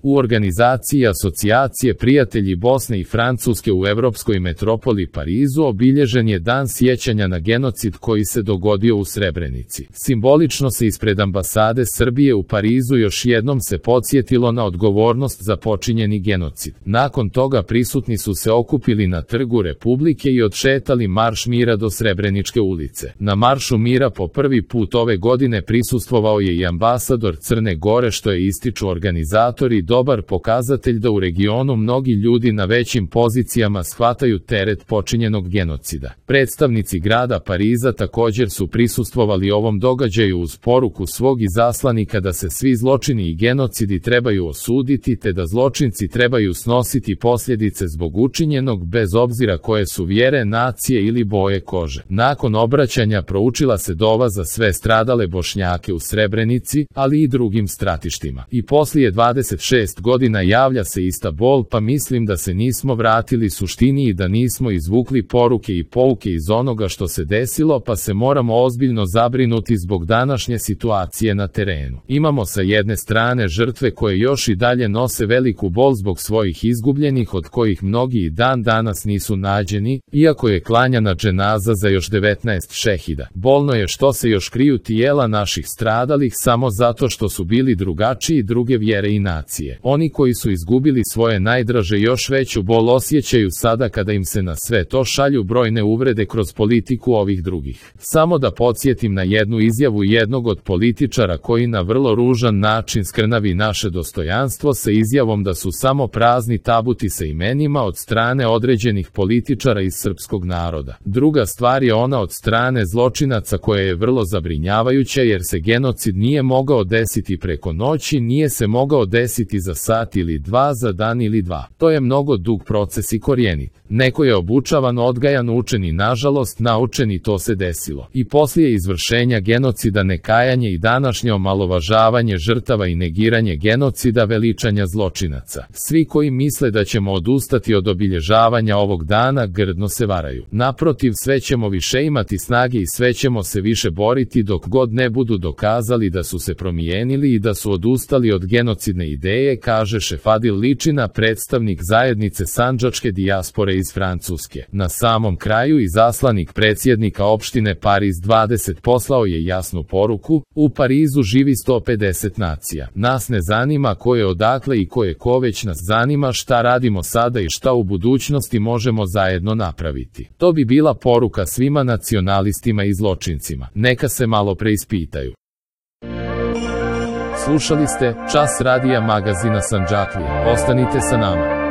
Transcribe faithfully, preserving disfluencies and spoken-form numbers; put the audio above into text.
U organizaciji Asocijacije prijatelji Bosne i Francuske u evropskoj metropoli Parizu obilježen je Dan sjećanja na genocid koji se dogodio u Srebrenici. Simbolično se ispred ambasade Srbije u Parizu još jednom se podsjetilo na odgovornost za počinjeni genocid. Nakon toga prisutni su se okupili na Trgu Republike i odšetali Marš mira do Srebreničke ulice. Na Maršu mira po prvi put ove godine prisustvovao je i ambasador Crne Gore, što je, ističu organizatori, dobar pokazatelj da u regionu mnogi ljudi na većim pozicijama shvataju teret počinjenog genocida. Predstavnici grada Pariza također su prisustvovali ovom događaju uz poruku svog izaslanika da se svi zločini i genocidi trebaju osuditi te da zločinci trebaju snositi posljedice zbog učinjenog bez obzira koje su vjere, nacije ili boje kože. Nakon obraćanja proučila se dova za sve stradale Bošnjake u Srebrenici, ali i drugim stratištima. I poslije dvadeset šest godina javlja se ista bol, pa mislim da se nismo vratili suštini i da nismo izvukli poruke i pouke iz onoga što se desilo, pa se moramo ozbiljno zabrinuti zbog današnje situacije na terenu. Imamo sa jedne strane žrtve koje još i dalje nose veliku bol zbog svojih izgubljenih, od kojih mnogi i dan danas nisu nađeni, iako je klanjana dženaza za još devetnaest šehida. Bolno je što se još kriju tijela naših stradalih samo zato što su bili drugačiji, druge vjere i nacije. Oni koji su izgubili svoje najdraže još veću bol osjećaju sada kada im se na sve to šalju brojne uvrede kroz politiku ovih drugih. Samo da podsjetim na jednu izjavu jednog od političara koji na vrlo ružan način skrnavi naše dostojanstvo sa izjavom da su samo prazni tabuti sa imenima od strane određenih političara iz srpskog naroda. Druga stvar je ona od strane zločinaca koja je vrlo zabrinjavajuća, jer se genocid nije mogao desiti preko noći, nije se mogao desiti za sat ili dva, za dan ili dva. To je mnogo dug proces i korijenit. Neko je obučavan, odgajan, učen i nažalost naučen i to se desilo. I poslije izvršenja genocida nekajanje i današnje omalovažavanje žrtava i negiranje genocida, veličanja zločinaca. Svi koji misle da ćemo odustati od obilježavanja ovog dana grdno se varaju. Naprotiv, sve ćemo više imati snage i sve ćemo se više boriti dok god ne budu dokazali da su se promijenili i da su odustali od genocidne ideje, kaže Šefadil Ličina, predstavnik zajednice sandžačke dijaspore iz Francuske. Na samom kraju izaslanik predsjednika opštine Pariz dvadeset poslao je jasnu poruku: u Parizu živi sto pedeset nacija. Nas ne zanima ko je odakle i ko je ko, već nas zanima šta radimo sada i šta u budućnosti možemo zajedno napraviti. To bi bila poruka svima nacionalistima i zločincima. Neka se malo preispitaju. Slušali ste Čas radija magazina Sandžaklija. Ostanite sa nama.